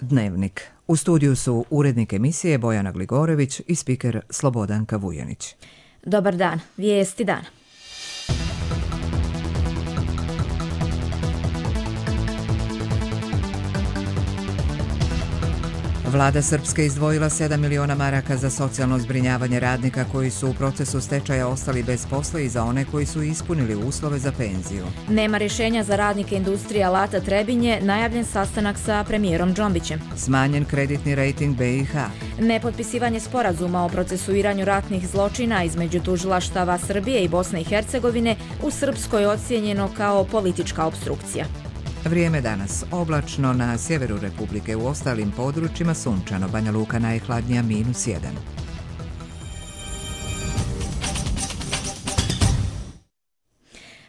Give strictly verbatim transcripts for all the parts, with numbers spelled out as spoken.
Dnevnik. U studiju su urednik emisije Bojana Gligorević i spiker Slobodanka Vujanić. Dobar dan, vijesti dana. Vlada Srpske izdvojila sedam miliona maraka za socijalno zbrinjavanje radnika koji su u procesu stečaja ostali bez posla i za one koji su ispunili uslove za penziju. Nema rješenja za radnike industrije alata Trebinje, najavljen sastanak sa premijerom Džombićem. Smanjen kreditni rejting be i ha. Nepotpisivanje sporazuma o procesuiranju ratnih zločina između tužilaštava Srbije i Bosne i Hercegovine u Srpskoj ocijenjeno kao politička opstrukcija. Vrijeme danas. Oblačno na sjeveru Republike, u ostalim područjima sunčano. Banja Luka najhladnija minus jedan.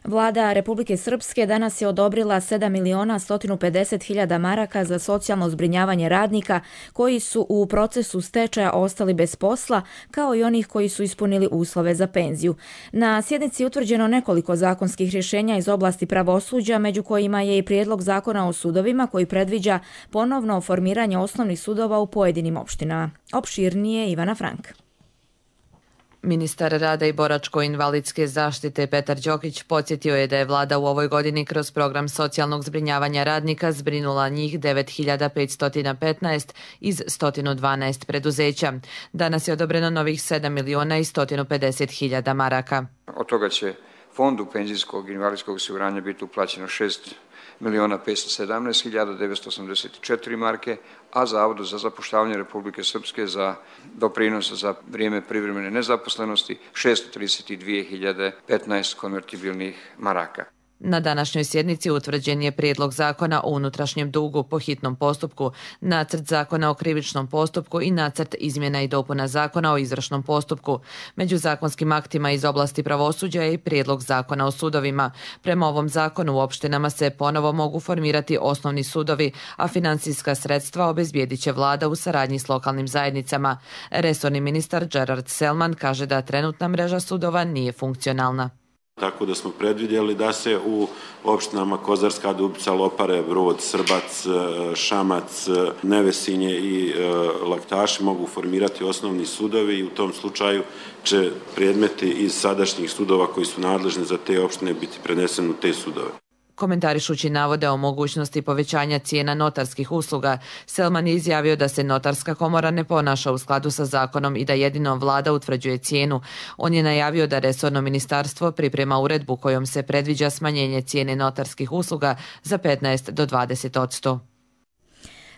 Vlada Republike Srpske danas je odobrila sedam miliona sto pedeset hiljada maraka za socijalno zbrinjavanje radnika koji su u procesu stečaja ostali bez posla, kao i onih koji su ispunili uslove za penziju. Na sjednici je utvrđeno nekoliko zakonskih rješenja iz oblasti pravosuđa, među kojima je i prijedlog zakona o sudovima koji predviđa ponovno formiranje osnovnih sudova u pojedinim opštinama. Opširnije Ivana Frank. Ministar rada i boračko-invalidske zaštite Petar Đokić podsjetio je da je vlada u ovoj godini kroz program socijalnog zbrinjavanja radnika zbrinula njih devet hiljada petsto petnaest iz sto dvanaest preduzeća. Danas je odobreno novih sedam miliona i sto pedeset hiljada maraka. Od toga će Fondu penzijskog i invalidskog osiguranja biti uplaćeno šest miliona petsto sedamnaest hiljada devetsto osamdeset četiri marke, a Zavodu za zapošljavanje Republike Srpske za doprinose za vrijeme privremene nezaposlenosti šesto trideset dvije hiljade petnaest konvertibilnih maraka. Na današnjoj sjednici utvrđen je prijedlog zakona o unutrašnjem dugu po hitnom postupku, nacrt zakona o krivičnom postupku i nacrt izmjena i dopuna zakona o izvršnom postupku. Među zakonskim aktima iz oblasti pravosuđa je i prijedlog zakona o sudovima. Prema ovom zakonu u opštinama se ponovo mogu formirati osnovni sudovi, a financijska sredstva obezbijedit će vlada u saradnji s lokalnim zajednicama. Resorni ministar Gerard Selman kaže da trenutna mreža sudova nije funkcionalna. Tako da smo predvidjeli da se u opštinama Kozarska Dubica, Lopare, Brod, Srbac, Šamac, Nevesinje i Laktaši mogu formirati osnovni sudovi i u tom slučaju će predmeti iz sadašnjih sudova koji su nadležni za te opštine biti preneseni u te sudove. Komentarišući navode o mogućnosti povećanja cijena notarskih usluga, Selman je izjavio da se notarska komora ne ponaša u skladu sa zakonom i da jedino vlada utvrđuje cijenu. On je najavio da resorno ministarstvo priprema uredbu kojom se predviđa smanjenje cijene notarskih usluga za petnaest do dvadeset odsto.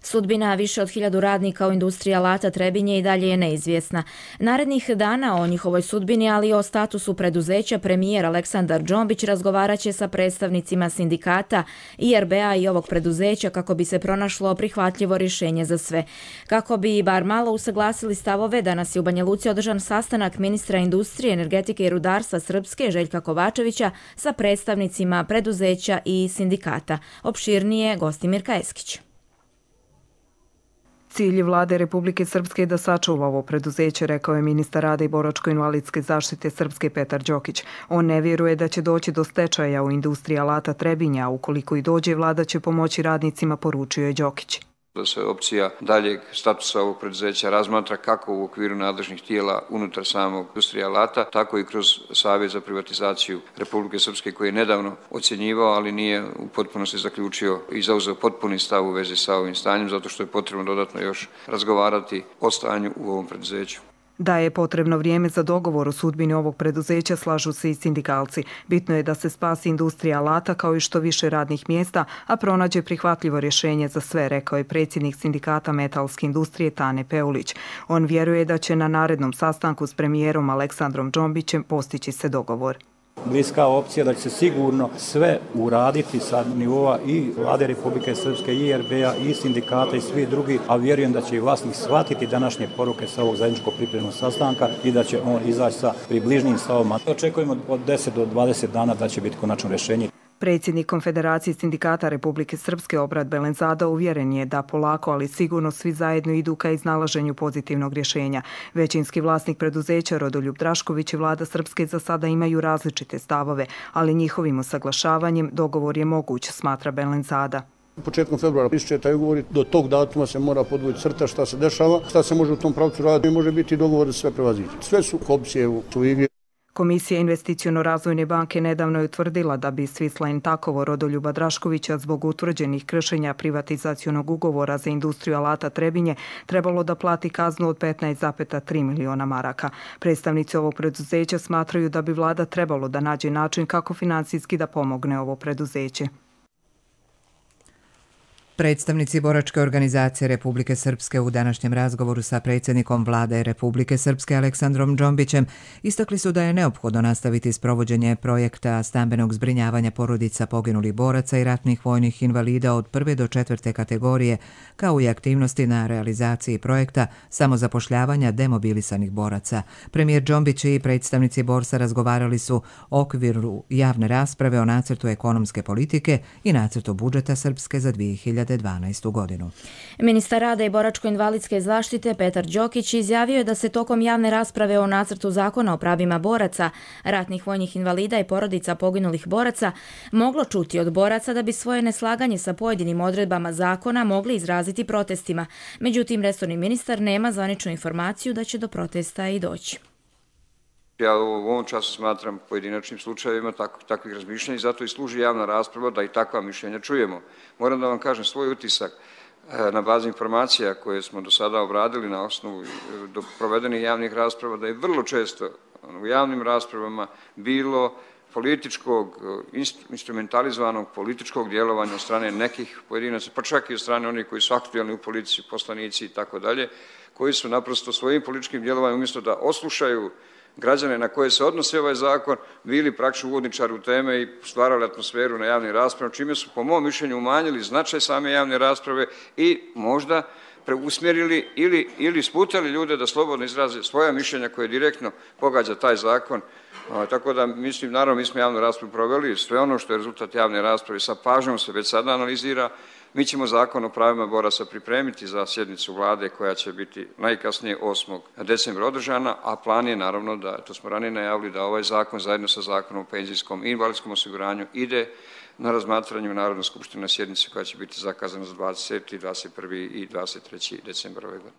Sudbina više od hiljadu radnika u industriji alata Trebinje i dalje je neizvjesna. Narednih dana o njihovoj sudbini, ali i o statusu preduzeća, premijer Aleksandar Džombić razgovarat će sa predstavnicima sindikata i er be a i ovog preduzeća kako bi se pronašlo prihvatljivo rješenje za sve. Kako bi bar malo usaglasili stavove, danas je u Banja Luci održan sastanak ministra industrije, energetike i rudarstva Srpske Željka Kovačevića sa predstavnicima preduzeća i sindikata. Opširnije Gostimir Eskić. Cilj vlade Republike Srpske je da sačuva ovo preduzeće, rekao je ministar rada i boračko-invalidske zaštite Srpske Petar Đokić. On ne vjeruje da će doći do stečaja u industriji alata Trebinja, a ukoliko i dođe, vlada će pomoći radnicima, poručio je Đokić. Da se opcija daljeg statusa ovog preduzeća razmatra kako u okviru nadležnih tijela unutar samog industrije alata, tako i kroz Savjet za privatizaciju Republike Srpske koji je nedavno ocjenjivao, ali nije u potpunosti zaključio i zauzeo potpuni stav u vezi sa ovim stanjem, zato što je potrebno dodatno još razgovarati o stanju u ovom preduzeću. Da je potrebno vrijeme za dogovor o sudbini ovog preduzeća, slažu se i sindikalci. Bitno je da se spasi industrija alata kao i što više radnih mjesta, a pronađe prihvatljivo rješenje za sve, rekao je predsjednik sindikata metalske industrije Tane Peulić. On vjeruje da će na narednom sastanku s premijerom Aleksandrom Džombićem postići se dogovor. Bliska opcija da će se sigurno sve uraditi sa nivoa i vlade Republike Srpske, i er be a, i sindikata i svi drugi, a vjerujem da će i vlasnik shvatiti današnje poruke sa ovog zajedničkog pripremnog sastanka i da će on izaći sa približnim stavovima. Očekujemo od deset do dvadeset dana da će biti konačno rješenje. Predsjednik Konfederacije sindikata Republike Srpske Obrad Belenzada uvjeren je da polako, ali sigurno svi zajedno idu ka iznalaženju pozitivnog rješenja. Većinski vlasnik preduzeća Rodoljub Drašković i vlada Srpske za sada imaju različite stavove, ali njihovim usaglašavanjem dogovor je moguć, smatra Belenzada. Početkom februara ističe taj ugovor, do tog datuma se mora podvući crta šta se dešava, šta se može u tom pravcu raditi i može biti dogovor da sve prevaziđe. Sve su opcije u igri. Komisija Investiciono-razvojne banke nedavno je utvrdila da bi Swiss Takovo Rodoljuba Draškovića zbog utvrđenih kršenja privatizacionog ugovora za industriju alata Trebinje trebalo da plati kaznu od petnaest zarez tri miliona maraka. Predstavnici ovog preduzeća smatraju da bi vlada trebalo da nađe način kako finansijski da pomogne ovo preduzeće. Predstavnici boračke organizacije Republike Srpske u današnjem razgovoru sa predsjednikom vlade Republike Srpske Aleksandrom Džombićem istakli su da je neophodno nastaviti sprovođenje projekta stambenog zbrinjavanja porodica poginulih boraca i ratnih vojnih invalida od prve do četvrte kategorije, kao i aktivnosti na realizaciji projekta samozapošljavanja demobilisanih boraca. Premijer Džombić i predstavnici borsa razgovarali su o okviru javne rasprave o nacrtu ekonomske politike i nacrtu budžeta Srpske za dvije hiljade dvanaestu godinu. Ministar rada i boračko-invalidske zaštite Petar Đokić izjavio je da se tokom javne rasprave o nacrtu zakona o pravima boraca, ratnih vojnih invalida i porodica poginulih boraca moglo čuti od boraca da bi svoje neslaganje sa pojedinim odredbama zakona mogli izraziti protestima. Međutim, resorni ministar nema zvaničnu informaciju da će do protesta i doći. Ja u ovom času smatram pojedinačnim slučajevima tak, takvih razmišljanja i zato i služi javna rasprava da i takva mišljenja čujemo. Moram da vam kažem svoj utisak na bazi informacija koje smo do sada obradili na osnovu do provedenih javnih rasprava, da je vrlo često u javnim raspravama bilo političkog, instrumentalizovanog političkog djelovanja od strane nekih pojedinaca, pa čak i od strane onih koji su aktualni u politici, poslanici i tako dalje, koji su naprosto svojim političkim djelovanjem umjesto da oslušaju građane na koje se odnosi ovaj zakon, bili praktično uvodničari u teme i stvarali atmosferu na javnim raspravama, čime su po mom mišljenju umanjili značaj same javne rasprave i možda preusmjerili ili, ili sputali ljude da slobodno izraze svoja mišljenja koje direktno pogađa taj zakon. A, tako da mislim, naravno mi smo javnu raspravu proveli, sve ono što je rezultat javne rasprave sa pažnjom se već sada analizira. Mi ćemo zakon o pravima boraca pripremiti za sjednicu vlade koja će biti najkasnije osmog decembra održana, a plan je naravno da, to smo ranije najavili, da ovaj zakon zajedno sa zakonom o penzijskom i invalidskom osiguranju ide na razmatranje u Narodnoj skupštini na sjednici koja će biti zakazana za dvadesetog, dvadeset prvog i dvadeset trećeg decembra ove godine.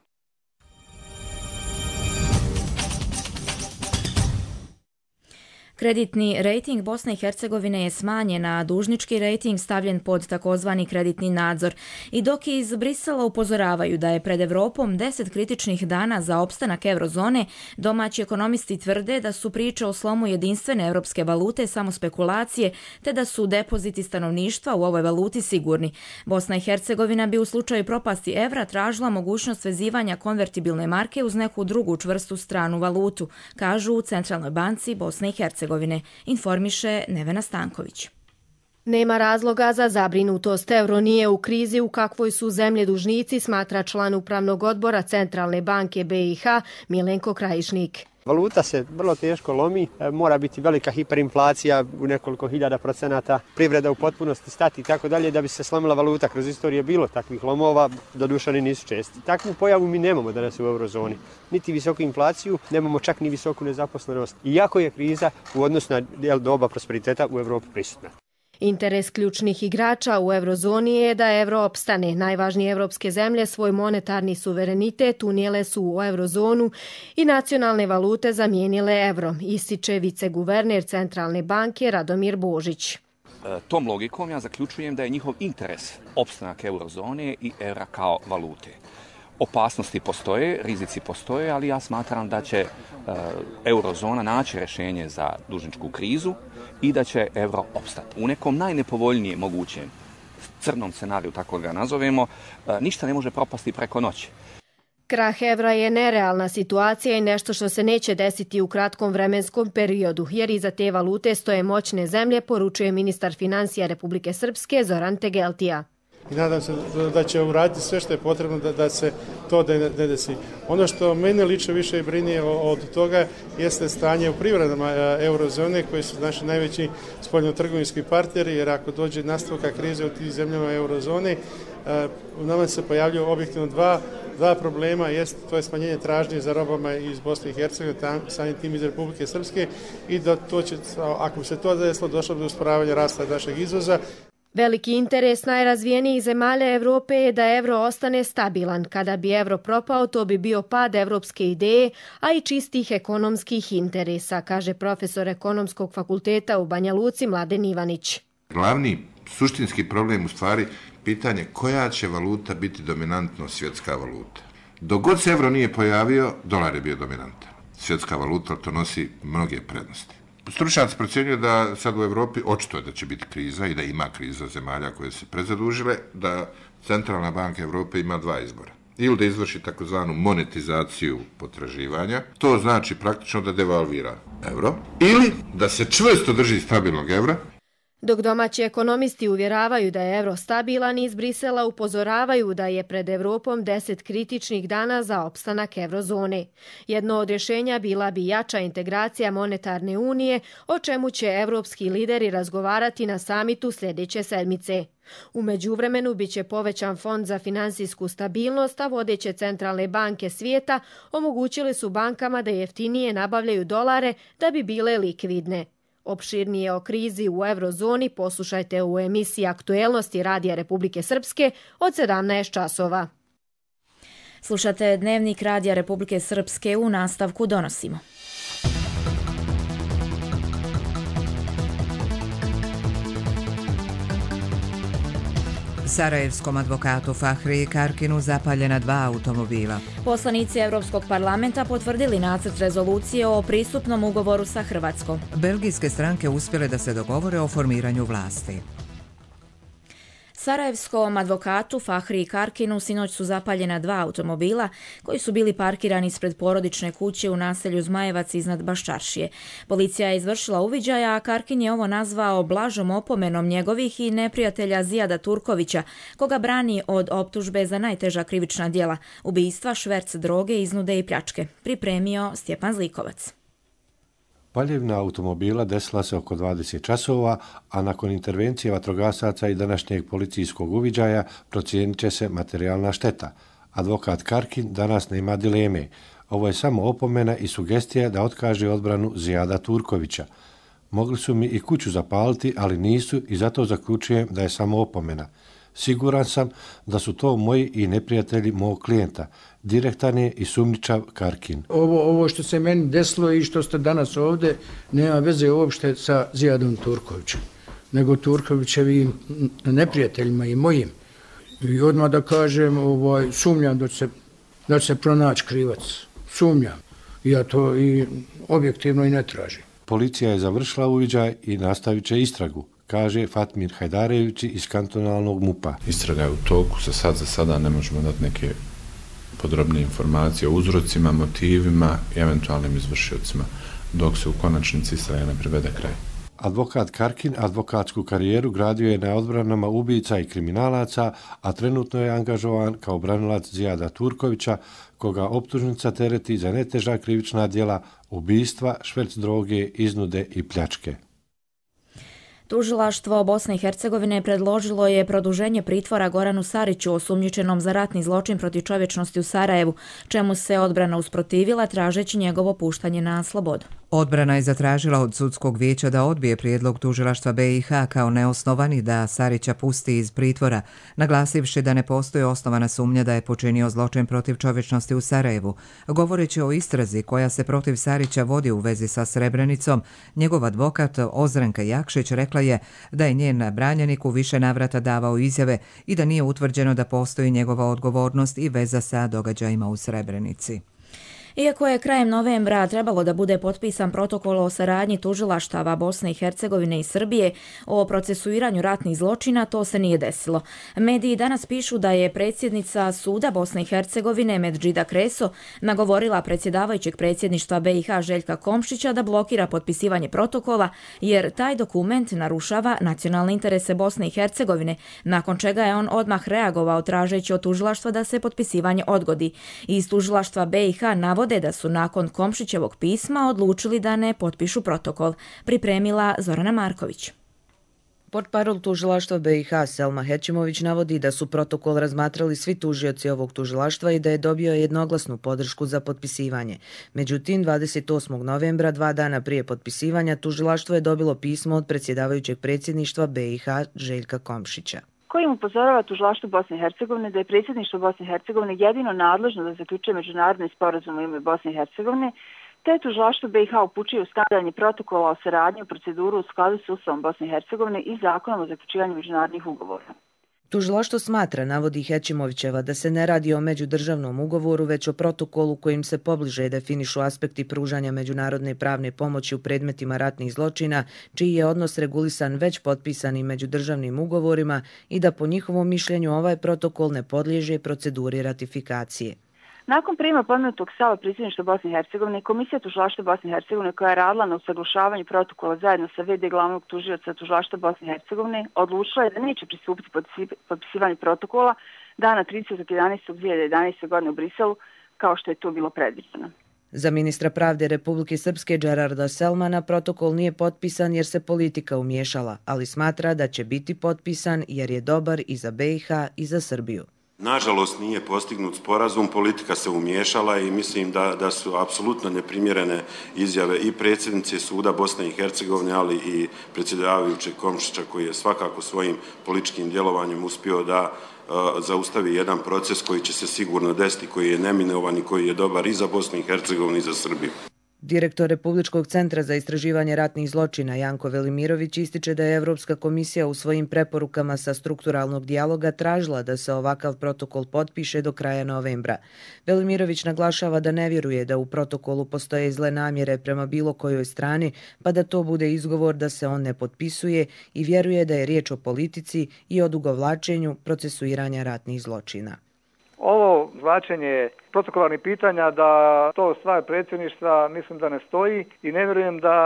Kreditni rejting Bosne i Hercegovine je smanjen, a dužnički rejting stavljen pod takozvani kreditni nadzor. I dok iz Brisela upozoravaju da je pred Evropom deset kritičnih dana za opstanak eurozone, domaći ekonomisti tvrde da su priče o slomu jedinstvene evropske valute samo spekulacije, te da su depoziti stanovništva u ovoj valuti sigurni. Bosna i Hercegovina bi u slučaju propasti evra tražila mogućnost vezivanja konvertibilne marke uz neku drugu čvrstu stranu valutu, kažu u Centralnoj banci Bosne i Hercegovine. Informiše Nevena Stanković. Nema razloga za zabrinutost. Euro nije u krizi u kakvoj su zemlje dužnici, smatra član upravnog odbora Centralne banke B i H Milenko Krajišnik. Valuta se vrlo teško lomi, mora biti velika hiperinflacija u nekoliko hiljada procenata, privreda u potpunosti stati i tako dalje da bi se slomila valuta. Kroz istoriju bilo takvih lomova, doduše oni nisu česti. Takvu pojavu mi nemamo danas u eurozoni. Niti visoku inflaciju, nemamo čak ni visoku nezaposlenost. Iako je kriza u odnosu na doba prosperiteta u Evropi prisutna. Interes ključnih igrača u eurozoni je da evro opstane. Najvažnije evropske zemlje svoj monetarni suverenitet unijele su u eurozonu i nacionalne valute zamijenile evro, ističe viceguverner Centralne banke Radomir Božić. Tom logikom ja zaključujem da je njihov interes opstanak eurozone i evra kao valute. Opasnosti postoje, rizici postoje, ali ja smatram da će uh, eurozona naći rješenje za dužničku krizu i da će euro opstati. U nekom najnepovoljnijem mogućem crnom scenariju, tako ga nazovemo, uh, ništa ne može propasti preko noći. Krah evra je nerealna situacija i nešto što se neće desiti u kratkom vremenskom periodu, jer iza te valute stoje moćne zemlje, poručuje ministar financija Republike Srpske Zoran Tegeltija. I nadam se da će uraditi sve što je potrebno da, da se to ne desi. Ono što mene lično više brinije od toga jeste stanje u privredama eurozone koji su naši najveći spoljnotrgovinski partneri, jer ako dođe nastavka krize u tih zemljama eurozone, u nama se pojavljuju objektivno dva, dva problema, jest, to je smanjenje tražnje za robama iz Bosne i Hercegovine, samim tim iz Republike Srpske i da to će, ako bi se to desilo, došlo do usporavanja rasta našeg izvoza. Veliki interes najrazvijenijih zemalja Evrope je da evro ostane stabilan. Kada bi evro propao, to bi bio pad evropske ideje, a i čistih ekonomskih interesa, kaže profesor Ekonomskog fakulteta u Banja Luci Mladen Ivanić. Glavni suštinski problem u stvari pitanje koja će valuta biti dominantno svjetska valuta. Dok god se evro nije pojavio, dolar je bio dominantan. Svjetska valuta to nosi mnoge prednosti. Stručnjaci procjenjuju da sad u Evropi očito je da će biti kriza i da ima kriza zemalja koje se prezadužile, da Centralna banka Evrope ima dva izbora. Ili da izvrši takozvanu monetizaciju potraživanja, to znači praktično da devalvira evro, ili da se čvrsto drži stabilnog evra. Dok domaći ekonomisti uvjeravaju da je evro stabilan, iz Brisela upozoravaju da je pred Evropom deset kritičnih dana za opstanak eurozone. Jedno od rješenja bila bi jača integracija monetarne unije, o čemu će evropski lideri razgovarati na samitu sljedeće sedmice. U međuvremenu biće povećan fond za finansijsku stabilnost, a vodeće centralne banke svijeta omogućili su bankama da jeftinije nabavljaju dolare da bi bile likvidne. Opširnije o krizi u eurozoni poslušajte u emisiji Aktuelnosti Radija Republike Srpske od sedamnaest časova. Slušate Dnevnik Radija Republike Srpske, u nastavku donosimo. Sarajevskom advokatu Fahriji Karkinu zapaljena dva automobila. Poslanici Europskog parlamenta potvrdili nacrt rezolucije o pristupnom ugovoru sa Hrvatskom. Belgijske stranke uspjele da se dogovore o formiranju vlasti. Sarajevskom advokatu Fahriji Karkinu sinoć su zapaljena dva automobila koji su bili parkirani ispred porodične kuće u naselju Zmajevac iznad Baščaršije. Policija je izvršila uviđaja, a Karkin je ovo nazvao blažom opomenom njegovih i neprijatelja Zijada Turkovića, koga brani od optužbe za najteža krivična djela, ubistva, šverc droge, iznude i pljačke. Pripremio Stjepan Zlikovac. Paljevna automobila desila se oko dvadeset časova, a nakon intervencije vatrogasaca i današnjeg policijskog uviđaja procijenit će se materijalna šteta. Advokat Karkin danas nema dileme. Ovo je samo opomena i sugestija da otkaže odbranu Zijada Turkovića. Mogli su mi i kuću zapaliti, ali nisu i zato zaključujem da je samo opomena. Siguran sam da su to moji i neprijatelji mog klijenta. Direktan je i sumnjičav Karkin. Ovo, ovo što se meni desilo i što ste danas ovdje nema veze uopšte sa Zijadom Turkovićem, nego Turkovićevim neprijateljima i mojim. I odmah da kažem, ovaj, sumnjam da će se, da će se pronaći krivac. Sumnjam. Ja to i objektivno i ne tražim. Policija je završila uviđaj i nastavit će istragu, kaže Fatmir Hajdarević iz kantonalnog MUP-a. Istraga je u toku, za sad za sada ne možemo dati neke podrobne informacije o uzrocima, motivima i eventualnim izvršiocima, dok se u konačnici istraga ne privede kraj. Advokat Karkin advokatsku karijeru gradio je na odbranama ubica i kriminalaca, a trenutno je angažovan kao branilac Zijada Turkovića, koga optužnica tereti za neteža krivična djela, ubistva, šverc droge, iznude i pljačke. Tužilaštvo Bosne i Hercegovine predložilo je produženje pritvora Goranu Sariću, osumnjičenom za ratni zločin protiv čovječnosti u Sarajevu, čemu se odbrana usprotivila tražeći njegovo puštanje na slobodu. Odbrana je zatražila od sudskog vijeća da odbije prijedlog tužilaštva B i H kao neosnovani da Sarića pusti iz pritvora, naglasivši da ne postoji osnovana sumnja da je počinio zločin protiv čovječnosti u Sarajevu. Govoreći o istrazi koja se protiv Sarića vodi u vezi sa Srebrenicom, njegov advokat Ozrenka Jakšić rekla je da je njen branjenik u više navrata davao izjave i da nije utvrđeno da postoji njegova odgovornost i veza sa događajima u Srebrenici. Iako je krajem novembra trebalo da bude potpisan protokol o saradnji tužilaštava Bosne i Hercegovine i Srbije o procesuiranju ratnih zločina, to se nije desilo. Mediji danas pišu da je predsjednica suda Bosne i Hercegovine Medžida Kreso nagovorila predsjedavajućeg predsjedništva B i H Željka Komšića da blokira potpisivanje protokola, jer taj dokument narušava nacionalne interese Bosne i Hercegovine, nakon čega je on odmah reagovao tražeći od tužilaštva da se potpisivanje odgodi. Iz tužilaštva B i H navode da su nakon Komšićevog pisma odlučili da ne potpišu protokol. Pripremila Zorana Marković. Portparol tužilaštva B i H Selma Hećimović navodi da su protokol razmatrali svi tužioci ovog tužilaštva i da je dobio jednoglasnu podršku za potpisivanje. Međutim, dvadeset osmog novembra, dva dana prije potpisivanja, tužilaštvo je dobilo pismo od predsjedavajućeg predsjedništva B i H Željka Komšića, kojim upozorava tužilaštvo Bosne i Hercegovine da je predsjedništvo Bosne i Hercegovine jedino nadležno da zaključuje međunarodne sporazume u ime Bosne i Hercegovine, te tužilaštvo B i H upućuje u skladanje protokola o saradnji u proceduru u skladu s Ustavom Bosne i Hercegovine i zakonom o zaključivanju međunarodnih ugovora. Tužilaštvo smatra, navodi Hećimovićeva, da se ne radi o međudržavnom ugovoru, već o protokolu kojim se pobliže definišu aspekti pružanja međunarodne pravne pomoći u predmetima ratnih zločina, čiji je odnos regulisan već potpisanim međudržavnim ugovorima i da po njihovom mišljenju ovaj protokol ne podliježe proceduri ratifikacije. Nakon prijema pomenutog stava predsjedništva Bosne i Hercegovine, Komisija tužilaštva Bosne i Hercegovine, koja je radila na usaglašavanju protokola zajedno sa ve de glavnog tužioca tužilaštva Bosne i Hercegovine, odlučila je da neće pristupiti potpisivanju protokola dana tridesetog jedanaestog dvije hiljade jedanaeste. godine u Briselu, kao što je to bilo predviđeno. Za ministra pravde Republike Srpske Džerarda Selmana protokol nije potpisan jer se politika umiješala, ali smatra da će biti potpisan jer je dobar i za B i H i za Srbiju. Nažalost nije postignut sporazum, politika se umiješala i mislim da, da su apsolutno neprimjerene izjave i predsjednice suda Bosne i Hercegovine, ali i predsjedavajućeg Komšića, koji je svakako svojim političkim djelovanjem uspio da uh, zaustavi jedan proces koji će se sigurno desiti, koji je neminovan i koji je dobar i za Bosnu i Hercegovinu i za Srbiju. Direktor Republičkog centra za istraživanje ratnih zločina Janko Velimirović ističe da je Evropska komisija u svojim preporukama sa strukturalnog dijaloga tražila da se ovakav protokol potpiše do kraja novembra. Velimirović naglašava da ne vjeruje da u protokolu postoje zle namjere prema bilo kojoj strani, pa da to bude izgovor da se on ne potpisuje, i vjeruje da je riječ o politici i odugovlačenju procesuiranja ratnih zločina. Ovo zvlačenje protokolarnih pitanja da to stvar predsjedništva mislim da ne stoji i ne vjerujem da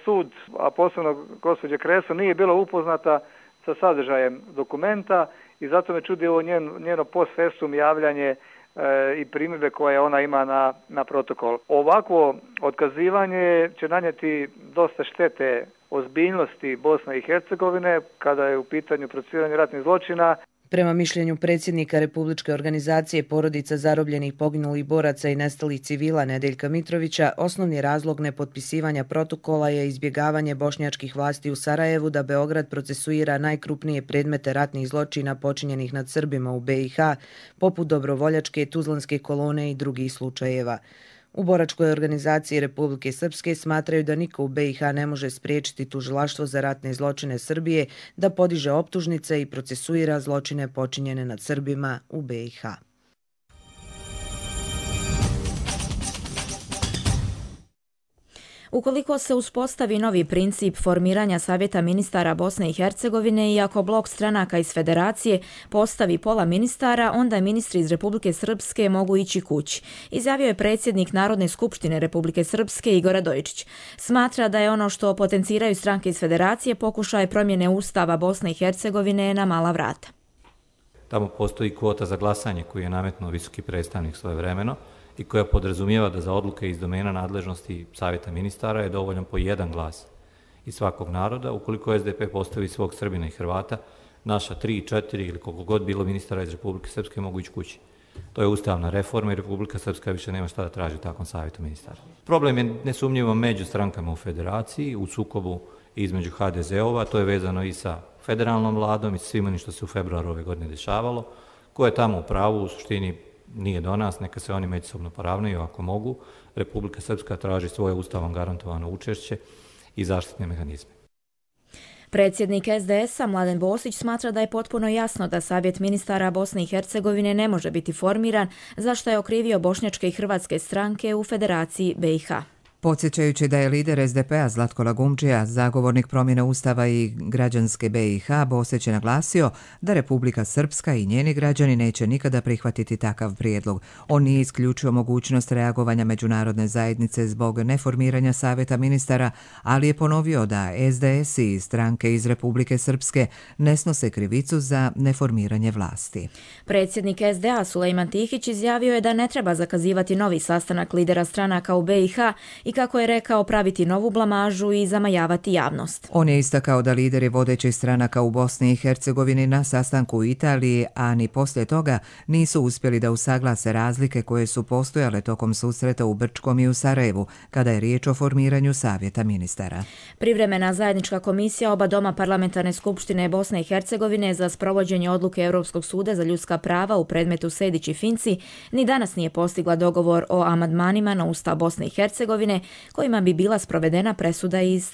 sud, a posebno gospođa Kreso, nije bila upoznata sa sadržajem dokumenta i zato me čudi ovo njen, njeno post festum javljanje e, i primjedbe koje ona ima na, na protokol. Ovakvo otkazivanje će nanijeti dosta štete ozbiljnosti Bosne i Hercegovine kada je u pitanju procesuiranje ratnih zločina. Prema mišljenju predsjednika Republičke organizacije porodica zarobljenih, poginulih boraca i nestalih civila Nedeljka Mitrovića, osnovni razlog nepotpisivanja protokola je izbjegavanje bošnjačkih vlasti u Sarajevu da Beograd procesuira najkrupnije predmete ratnih zločina počinjenih nad Srbima u B i H, poput Dobrovoljačke, Tuzlanske kolone i drugih slučajeva. U boračkoj organizaciji Republike Srpske smatraju da niko u B i H ne može spriječiti tužilaštvo za ratne zločine Srbije da podiže optužnice i procesuira zločine počinjene nad Srbima u B i H. Ukoliko se uspostavi novi princip formiranja Savjeta ministara Bosne i Hercegovine i ako blok stranaka iz Federacije postavi pola ministara, onda ministri iz Republike Srpske mogu ići kući, izjavio je predsjednik Narodne skupštine Republike Srpske Igor Radojičić. Smatra da je ono što potenciraju stranke iz Federacije pokušaj promjene Ustava Bosne i Hercegovine na mala vrata. Tamo postoji kvota za glasanje koju je nametnuo visoki predstavnik svojevremeno i koja podrazumijeva da za odluke iz domena nadležnosti Savjeta ministara je dovoljan po jedan glas iz svakog naroda. Ukoliko es de pe postavi svog Srbina i Hrvata, naša tri, četiri ili koliko god bilo ministara iz Republike Srpske mogu ići kući. To je ustavna reforma i Republika Srpska više nema šta da traži u takvom Savjetu ministara. Problem je nesumnjivo među strankama u Federaciji, u sukobu između ha de ze-ova, to je vezano i sa federalnom vladom i svim onim što se u februaru ove godine dešavalo. Ko je tamo u pravu, u suštini nije do nas, neka se oni međusobno poravnaju ako mogu. Republika Srpska traži svoje ustavom garantovano učešće i zaštitne mehanizme. Predsjednik es de es-a Mladen Bosić smatra da je potpuno jasno da Savjet ministara Bosne i Hercegovine ne može biti formiran, za što je okrivio bošnjačke i hrvatske stranke u Federaciji be i ha. Podsjećajući da je lider es de pe-a Zlatko Lagumdžija, zagovornik promjene ustava i građanske be i ha, Bosić je naglasio da Republika Srpska i njeni građani neće nikada prihvatiti takav prijedlog. On nije isključio mogućnost reagovanja međunarodne zajednice zbog neformiranja Savjeta ministara, ali je ponovio da es de es i stranke iz Republike Srpske ne snose krivicu za neformiranje vlasti. Predsjednik es de a Sulejman Tihić izjavio je da ne treba zakazivati novi sastanak lidera stranaka u be i ha i, kako je rekao, praviti novu blamažu i zamajavati javnost. On je istakao da lideri vodećih stranaka u Bosni i Hercegovini na sastanku u Italiji, a ni poslije toga, nisu uspjeli da usaglase razlike koje su postojale tokom susreta u Brčkom i u Sarajevu, kada je riječ o formiranju savjeta ministara. Privremena zajednička komisija oba doma Parlamentarne skupštine Bosne i Hercegovine za sprovođenje odluke Europskog suda za ljudska prava u predmetu Sejdić i Finci ni danas nije postigla dogovor o amandmanima na Ustav Bosne i Hercegovine kojima bi bila sprovedena presuda iz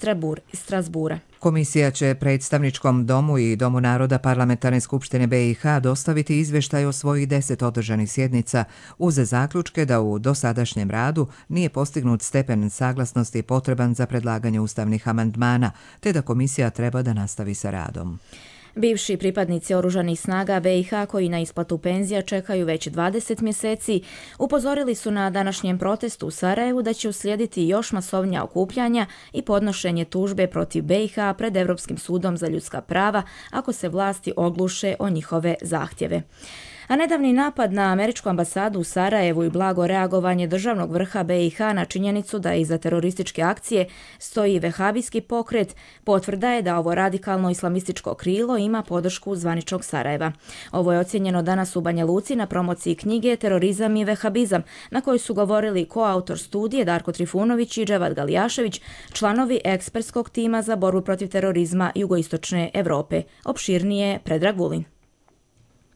Strasbura. Komisija će predstavničkom domu i Domu naroda Parlamentarne skupštine B i H dostaviti izvještaj o svojih deset održanih sjednica uz zaključke da u dosadašnjem radu nije postignut stepen saglasnosti potreban za predlaganje ustavnih amandmana, te da komisija treba da nastavi sa radom. Bivši pripadnici oružanih snaga B i H koji na isplatu penzija čekaju već dvadeset mjeseci, upozorili su na današnjem protestu u Sarajevu da će uslijediti još masovnija okupljanja i podnošenje tužbe protiv B i H pred Europskim sudom za ljudska prava ako se vlasti ogluše o njihove zahtjeve. A nedavni napad na američku ambasadu u Sarajevu i blago reagovanje državnog vrha B i H na činjenicu da iza terorističke akcije stoji vehabijski pokret potvrda je da ovo radikalno islamističko krilo ima podršku zvaničnog Sarajeva. Ovo je ocjenjeno danas u Banja Luci na promociji knjige Terorizam i vehabizam, na kojoj su govorili koautor studije Darko Trifunović i Dževad Galijašević, članovi ekspertskog tima za borbu protiv terorizma jugoistočne Europe. Opširnije Predrag Vulin.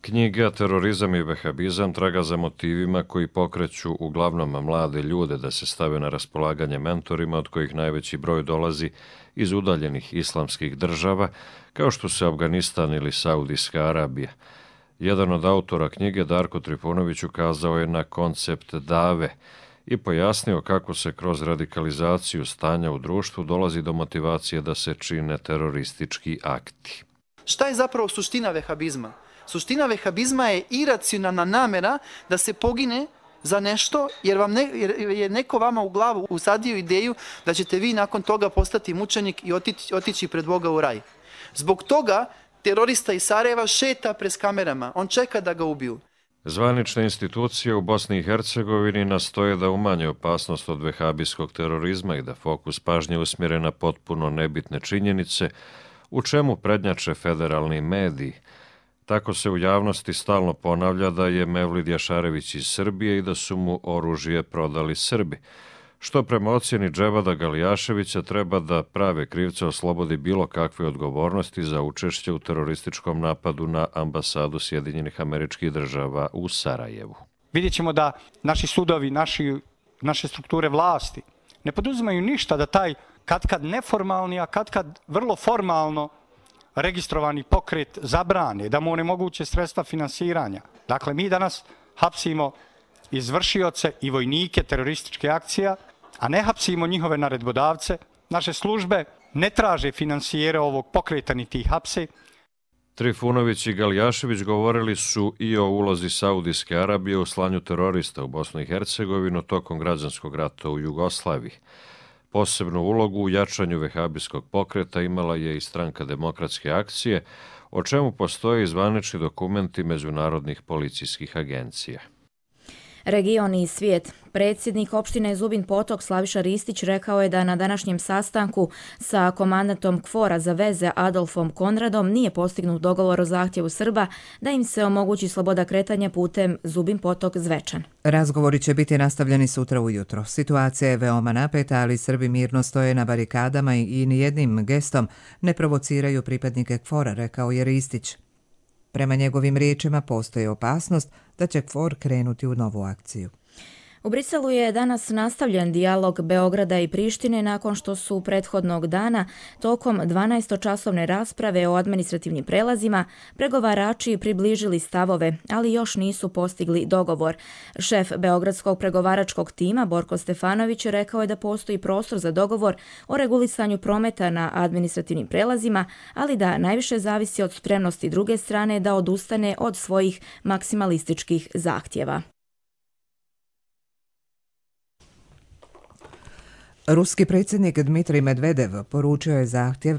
Knjiga Terorizam i vehabizam traga za motivima koji pokreću uglavnom mlade ljude da se stave na raspolaganje mentorima od kojih najveći broj dolazi iz udaljenih islamskih država kao što su Afganistan ili Saudijska Arabija. Jedan od autora knjige, Darko Trifunović, ukazao je na koncept dave i pojasnio kako se kroz radikalizaciju stanja u društvu dolazi do motivacije da se čine teroristički akti. Šta je zapravo suština vehabizma? Suština vehabizma je iracionalna namjera da se pogine za nešto jer, vam ne, jer je neko vama u glavu usadio ideju da ćete vi nakon toga postati mučenik i otići, otići pred Boga u raj. Zbog toga terorista iz Sarajeva šeta pred kamerama, on čeka da ga ubiju. Zvanične institucije u Bosni i Hercegovini nastoje da umanje opasnost od vehabijskog terorizma i da fokus pažnje usmjere na potpuno nebitne činjenice, u čemu prednjače federalni mediji. Tako se u javnosti stalno ponavlja da je Mevlid Jašarević iz Srbije i da su mu oružje prodali Srbi, što prema ocjeni Dževada Galijaševića treba da prave krivce oslobodi bilo kakve odgovornosti za učešće u terorističkom napadu na ambasadu Sjedinjenih Američkih Država u Sarajevu. Vidjet ćemo da naši sudovi, naši, naše strukture vlasti ne poduzimaju ništa da taj katkad neformalni, a katkad vrlo formalno registrovani pokret zabrane, da mu onemoguće sredstva finansiranja. Dakle, mi danas hapsimo izvršioce i vojnike terorističke akcija, a ne hapsimo njihove naredbodavce. Naše službe ne traže finansijere ovog pokreta ni tih hapse. Trifunović i Galijašević govorili su i o ulozi Saudijske Arabije u slanju terorista u Bosnu i Hercegovinu tokom građanskog rata u Jugoslaviji. Posebnu ulogu u jačanju vehabijskog pokreta imala je i Stranka demokratske akcije, o čemu postoje zvanični dokumenti međunarodnih policijskih agencija. Region i svijet. Predsjednik opštine Zubin Potok Slaviša Ristić rekao je da na današnjem sastanku sa komandantom KFOR-a za veze Adolfom Konradom nije postignut dogovor o zahtjevu Srba da im se omogući sloboda kretanja putem Zubin Potok Zvečan. Razgovori će biti nastavljeni sutra ujutro. Situacija je veoma napeta, ali Srbi mirno stoje na barikadama i nijednim gestom ne provociraju pripadnike KFOR-a, rekao je Ristić. Prema njegovim riječima postoji opasnost da će KFOR krenuti u novu akciju. U Briselu je danas nastavljen dijalog Beograda i Prištine nakon što su prethodnog dana tokom dvanaestočasovne rasprave o administrativnim prelazima pregovarači približili stavove, ali još nisu postigli dogovor. Šef Beogradskog pregovaračkog tima Borko Stefanović rekao je da postoji prostor za dogovor o regulisanju prometa na administrativnim prelazima, ali da najviše zavisi od spremnosti druge strane da odustane od svojih maksimalističkih zahtjeva. Ruski predsjednik Dmitrij Medvedev poručio je zahtjev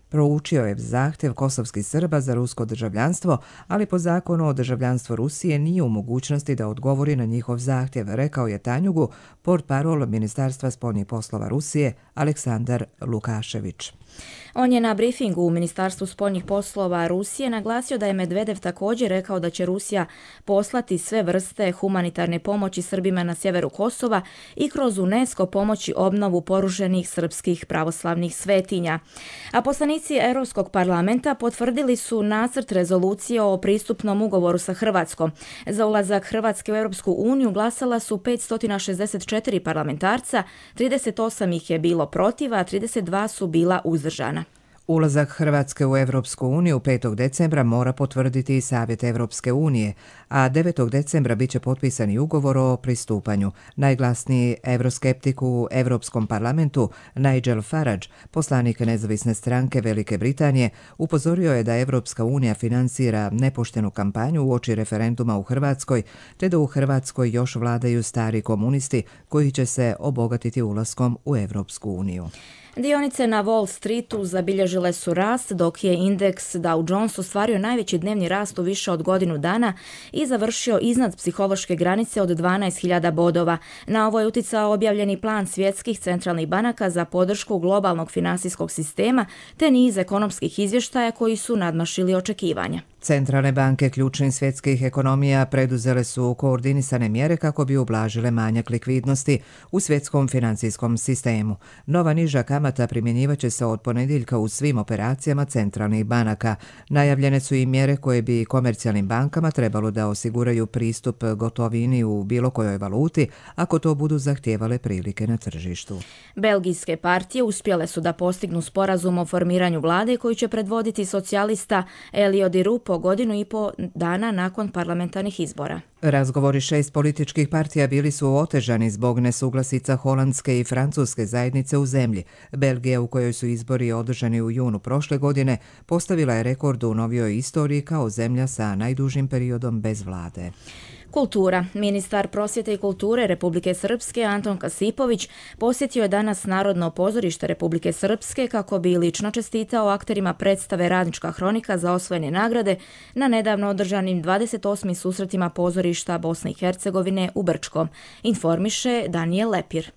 Proučio je zahtjev kosovskih Srba za rusko državljanstvo, ali po zakonu o državljanstvu Rusije nije u mogućnosti da odgovori na njihov zahtjev, rekao je Tanjugu portparol Ministarstva spoljnih poslova Rusije Aleksandar Lukašević. On je na briefingu u Ministarstvu spoljnih poslova Rusije naglasio da je Medvedev također rekao da će Rusija poslati sve vrste humanitarne pomoći Srbima na sjeveru Kosova i kroz UNESCO pomoći obnovu porušenih srpskih pravoslavnih svetinja. A poslanici Europskog parlamenta potvrdili su nacrt rezolucije o pristupnom ugovoru sa Hrvatskom. Za ulazak Hrvatske u Europsku uniju glasala su petsto šezdeset četiri parlamentarca, trideset osam ih je bilo protiv, a trideset dva su bila uzdržana. Ulazak Hrvatske u Evropsku uniju petog decembra mora potvrditi i Savjet Evropske unije, a devetog decembra biće potpisani ugovor o pristupanju. Najglasniji evroskeptik u Evropskom parlamentu, Nigel Farage, poslanik nezavisne stranke Velike Britanije, upozorio je da Evropska unija finansira nepoštenu kampanju uoči referenduma u Hrvatskoj, te da u Hrvatskoj još vladaju stari komunisti koji će se obogatiti ulaskom u Evropsku uniju. Dionice na Wall Streetu zabilježile su rast, dok je indeks Dow Jones ostvario najveći dnevni rast u više od godinu dana i završio iznad psihološke granice od dvanaest hiljada bodova. Na ovo je uticao objavljeni plan svjetskih centralnih banaka za podršku globalnog finansijskog sistema te niz ekonomskih izvještaja koji su nadmašili očekivanja. Centralne banke ključnih svjetskih ekonomija preduzele su koordinisane mjere kako bi ublažile manjak likvidnosti u svjetskom financijskom sistemu. Nova niža kamata primjenjivat će se od ponedjeljka u svim operacijama centralnih banaka. Najavljene su i mjere koje bi komercijalnim bankama trebalo da osiguraju pristup gotovini u bilo kojoj valuti ako to budu zahtijevale prilike na tržištu. Belgijske partije uspjele su da postignu sporazum o formiranju vlade koji će predvoditi socijalista Elio Di Rupo godinu i po dana nakon parlamentarnih izbora. Razgovori šest političkih partija bili su otežani zbog nesuglasica holandske i francuske zajednice u zemlji. Belgija, u kojoj su izbori održani u junu prošle godine, postavila je rekord u novijoj istoriji kao zemlja sa najdužim periodom bez vlade. Kultura. Ministar prosvjete i kulture Republike Srpske Anton Kasipović posjetio je danas Narodno pozorište Republike Srpske kako bi lično čestitao akterima predstave Radnička hronika za osvojene nagrade na nedavno održanim dvadeset osmim susretima pozorišta Bosne i Hercegovine u Brčkom, informiše Danijel Lepir.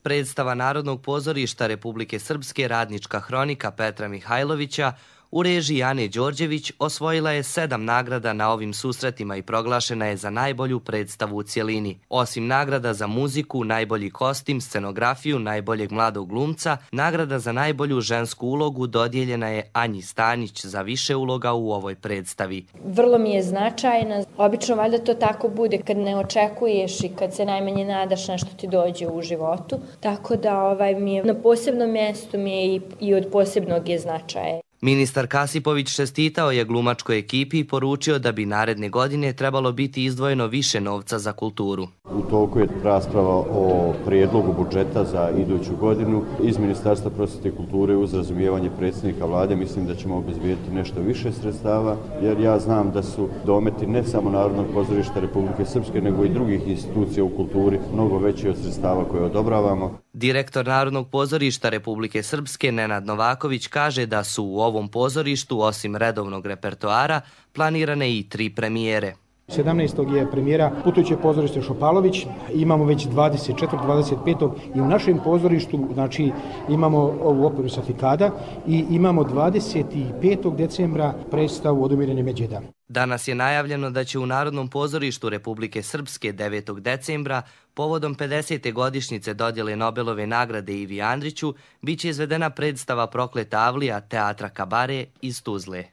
Predstava Narodnog pozorišta Republike Srpske Radnička hronika Petra Mihajlovića u režiji Ane Đorđević osvojila je sedam nagrada na ovim susretima i proglašena je za najbolju predstavu u cjelini. Osim nagrada za muziku, najbolji kostim, scenografiju, najboljeg mladog glumca, nagrada za najbolju žensku ulogu dodijeljena je Anji Stanić za više uloga u ovoj predstavi. Vrlo mi je značajna. Obično valjda to tako bude kad ne očekuješ i kad se najmanje nadaš nešto ti dođe u životu. Tako da ovaj, mi je na posebnom mjestu mi je i, i od posebnog je značaja. Ministar Kasipović čestitao je glumačkoj ekipi i poručio da bi naredne godine trebalo biti izdvojeno više novca za kulturu. U toku je rasprava o prijedlogu budžeta za iduću godinu. Iz Ministarstva prosvjete i kulture uz razumijevanje predsjednika vlade mislim da ćemo obezbijediti nešto više sredstava, jer ja znam da su dometi ne samo Narodnog pozorišta Republike Srpske, nego i drugih institucija u kulturi mnogo veći od sredstava koje odobravamo. Direktor Narodnog pozorišta Republike Srpske Nenad Novaković kaže da su u ovom pozorištu osim redovnog repertoara planirane i tri premijere. sedamnaestog je premijera Putujuće pozorište Šopalović, imamo već dvadeset četvrtog dvadeset petog i u našem pozorištu znači, imamo ovu operu Safikada i imamo dvadeset petog decembra predstavu Odumirene Međeda. Danas je najavljeno da će u Narodnom pozorištu Republike Srpske devetog decembra povodom pedesete godišnjice dodjele Nobelove nagrade Ivi Andriću biće izvedena predstava Prokleta Avlija teatra Kabare iz Tuzle.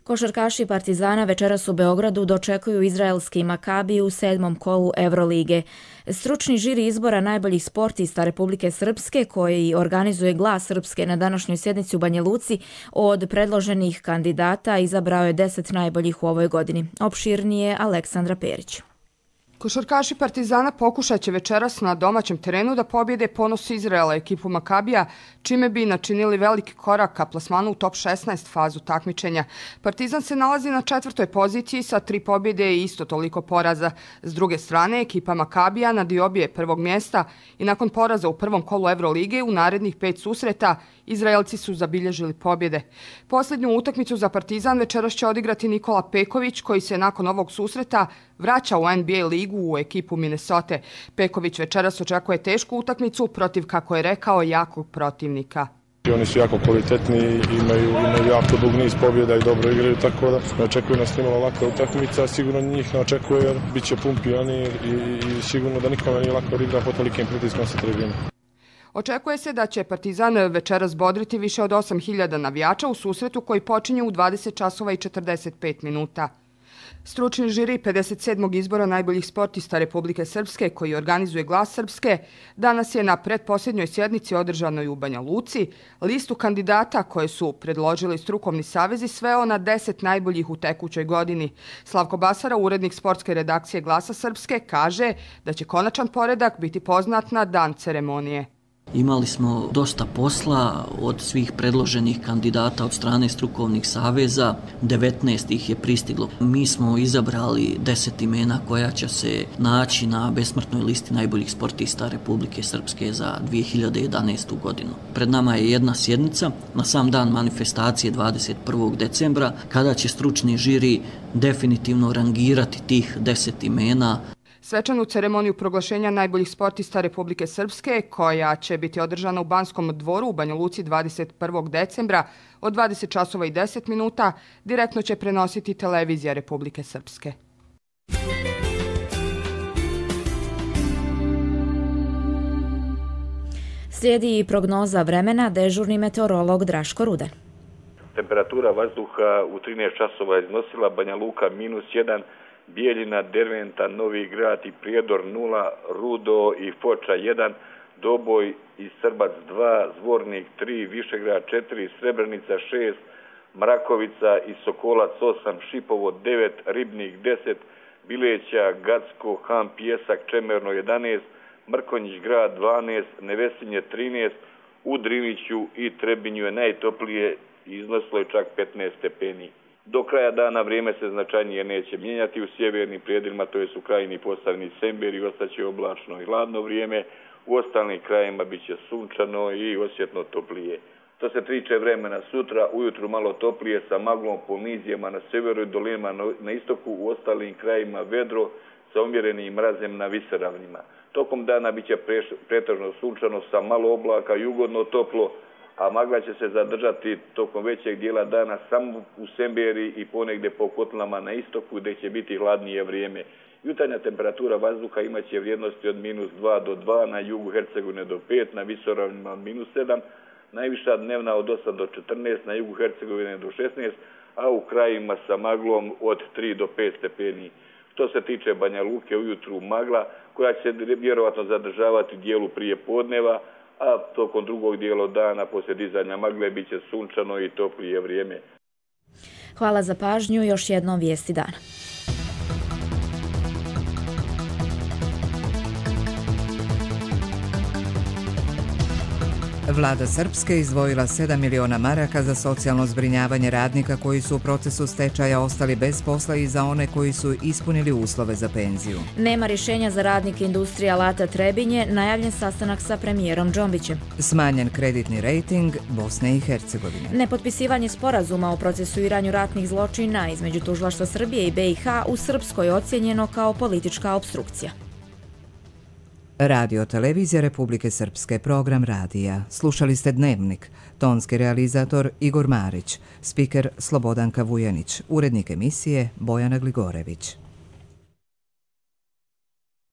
Košarkaši Partizana večeras u Beogradu dočekuju izraelski Makabi u sedmom kolu Evrolige. Stručni žiri izbora najboljih sportista Republike Srpske, koji organizuje Glas Srpske na današnjoj sjednici u Banja Luci, od predloženih kandidata izabrao je deset najboljih u ovoj godini. Opširnije Aleksandra Perić. Košarkaši Partizana pokušat će večeras na domaćem terenu da pobjede ponos Izraela ekipu Makabija, čime bi načinili veliki korak ka plasmanu u top šesnaest fazu takmičenja. Partizan se nalazi na četvrtoj poziciji sa tri pobjede i isto toliko poraza. S druge strane, ekipa Makabija na diobi je prvog mjesta i nakon poraza u prvom kolu Evrolige u narednih pet susreta Izraelci su zabilježili pobjede. Posljednju utakmicu za Partizan večeras će odigrati Nikola Peković, koji se nakon ovog susreta vraća u N B A ligu u ekipu Minnesota. Peković večeras očekuje tešku utakmicu protiv, kako je rekao, jakog protivnika. Oni su jako kvalitetni, imaju, imaju jako dug niz pobjeda i dobro igraju, tako da ne očekuju nas nimalo laka utakmica, sigurno njih ne očekuje jer bit će pun pionir i, i sigurno da nikome nije lako igra pod tolikim pritiskom sa tribine. Očekuje se da će Partizan večeras bodriti više od osam hiljada navijača u susretu koji počinje u dvadeset časova i četrdeset pet minuta. Stručni žiri pedeset sedmog izbora najboljih sportista Republike Srpske, koji organizuje Glas Srpske, danas je na pretposljednjoj sjednici održanoj u Banja Luci listu kandidata koje su predložili strukovni savezi sveo na deset najboljih u tekućoj godini. Slavko Basara, urednik sportske redakcije Glasa Srpske, kaže da će konačan poredak biti poznat na dan ceremonije. Imali smo dosta posla od svih predloženih kandidata od strane strukovnih saveza, devetnaest ih je pristiglo. Mi smo izabrali deset imena koja će se naći na besmrtnoj listi najboljih sportista Republike Srpske za dvije hiljade jedanaestu godinu. Pred nama je jedna sjednica na sam dan manifestacije dvadeset prvog decembra, kada će stručni žiri definitivno rangirati tih deset imena. Svečanu ceremoniju proglašenja najboljih sportista Republike Srpske, koja će biti održana u Banskom dvoru u Banja Luci dvadeset prvog decembra od dvadeset časova i deset minuta, direktno će prenositi televizija Republike Srpske. Slijedi i prognoza vremena, dežurni meteorolog Draško Rude. Temperatura vazduha u trinaest časova iznosila Banja Luka minus jedan, Bijeljina, Derventa, Novi Grad i Prijedor nula, Rudo i Foča jedan, Doboj i Srbac dva, Zvornik tri, Višegrad četiri, Srebrenica šest, Mrakovica i Sokolac osam, Šipovo devet, Ribnik deset, Bileća, Gacko, Han, Pjesak, Čemerno jedanaest, Mrkonjić grad dvanaest, Nevesinje trinaest, u Driniću i Trebinju je najtoplije, iznosilo je čak petnaest stepeni. Do kraja dana vrijeme se značajnije neće mijenjati u sjevernim prijedjelima, to je u krajini Posavini Semberi, ostaće oblačno i hladno vrijeme, u ostalim krajima bit će sunčano i osjetno toplije. Što se tiče vremena sutra, ujutru malo toplije sa maglom po nizijama na sjeveru i dolinama na istoku, u ostalim krajima vedro sa umjerenim mrazem na visoravnima. Tokom dana bit će pretežno sunčano sa malo oblaka i ugodno toplo, a magla će se zadržati tokom većeg dijela dana samo u Semberi i ponegdje po kotlama na istoku gdje će biti hladnije vrijeme. Jutarnja temperatura vazduha imaće vrijednosti od minus dva do dva, na jugu Hercegovine do pet, na visoravnima minus sedam, najviša dnevna od osam do četrnaest, na jugu Hercegovine do šesnaest, a u krajima sa maglom od tri do pet stepeni. Što se tiče Banja Luke, ujutru magla koja će se vjerovatno zadržavati u dijelu prije podneva, a tokom drugog dijela dana poslije dizanja magle bit će sunčano i toplije vrijeme. Hvala za pažnju, još jednom vijesti dana. Vlada Srpske izdvojila sedam miliona maraka za socijalno zbrinjavanje radnika koji su u procesu stečaja ostali bez posla i za one koji su ispunili uslove za penziju. Nema rješenja za radnike industrije alata Trebinje, najavljen sastanak sa premijerom Džombićem. Smanjen kreditni rejting Bosne i Hercegovine. Nepotpisivanje sporazuma o procesuiranju ratnih zločina između Tužilaštva Srbije i B i H u Srpskoj ocijenjeno kao politička opstrukcija. Radio Televizija Republike Srpske, program radija. Slušali ste Dnevnik. Tonski realizator Igor Marić, spiker Slobodanka Vujanić, urednik emisije Bojana Gligorević.